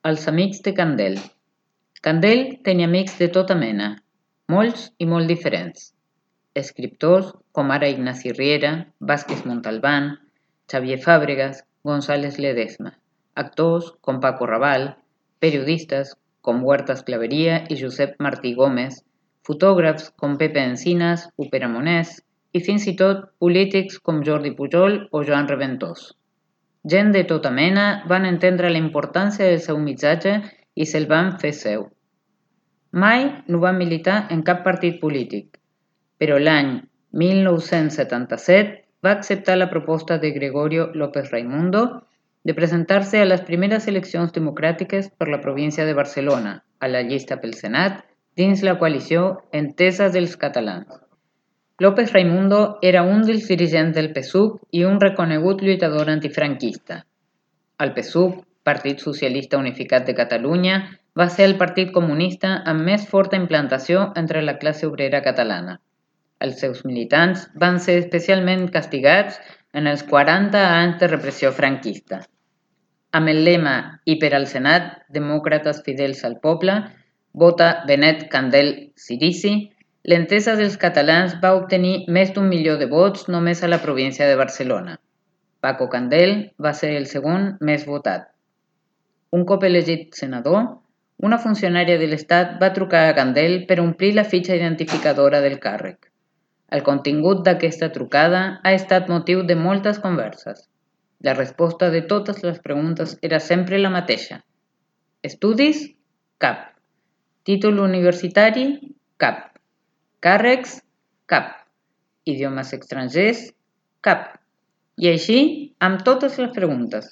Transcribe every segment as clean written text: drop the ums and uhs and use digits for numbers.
Els amics de Candel. Candel tenia amics de tota mena, molts i molt diferents. Escriptors com ara Ignasi Riera, Vázquez Montalbán, Xavier Fàbregas, González Ledesma. Actors com Paco Raval, periodistes com Huertas Claveria i Josep Martí Gómez, fotògrafs com Pepe Encinas, Upera Monés i fins i tot polítics com Jordi Pujol o Joan Reventós. Gent de tota mena van entendre la importància del seu missatge i se'l van fer seu. Mai no va militar en cap partit polític, però l'any 1977 va acceptar la proposta de Gregorio López Raimundo de presentar-se a les primeres eleccions democràtiques per la província de Barcelona, a la llista pel Senat, dins la coalició Entesa dels Catalans. López Raimundo era un dels dirigents del PSUV i un reconegut lluitador antifranquista. El PSUV, Partit Socialista Unificat de Catalunya, va ser el partit comunista amb més forta implantació entre la classe obrera catalana. Els seus militants van ser especialment castigats en els 40 anys de repressió franquista. Amb el lema "I per al Senat, demòcrates fidels al poble", vota Benet Candel Cirici, l'Entesa dels Catalans va obtenir més d'1 milió de vots només a la província de Barcelona. Paco Candel va ser el segon més votat. Un cop elegit senador, una funcionària de l'Estat va trucar a Candel per omplir la fitxa identificadora del càrrec. El contingut d'aquesta trucada ha estat motiu de moltes converses. La resposta de totes les preguntes era sempre la mateixa. Estudis? Cap. Títol universitari? Cap. Càrrecs? Cap. Idiomes estrangers? Cap. I així amb totes les preguntes.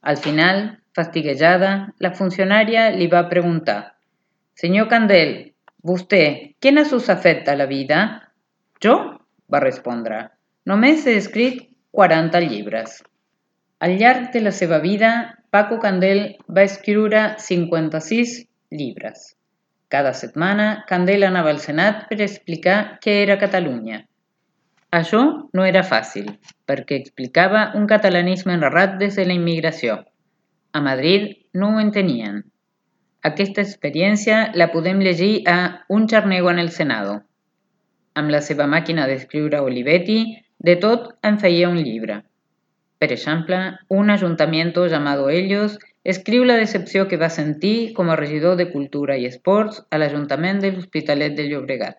Al final, fastiguejada, la funcionària li va preguntar: «Senyor Candel, vostè, quines us ha fet a la vida?» «Jo?» va respondre. «Només he escrit 40 llibres». Al llarg de la seva vida, Paco Candel va escriure 56 llibres. Cada setmana, Candel anava al Senat per explicar què era Catalunya. Això no era fàcil, perquè explicava un catalanisme narrat des de la immigració. A Madrid no ho entenien. Aquesta experiència la podem llegir a Un charnego en el Senado. Amb la seva màquina d'escriure Olivetti, de tot en feia un llibre. Per exemple, un ayuntamiento llamado Ellos escriu la decepció que va sentir com a regidor de Cultura i Esports a l'Ajuntament de l'Hospitalet de Llobregat.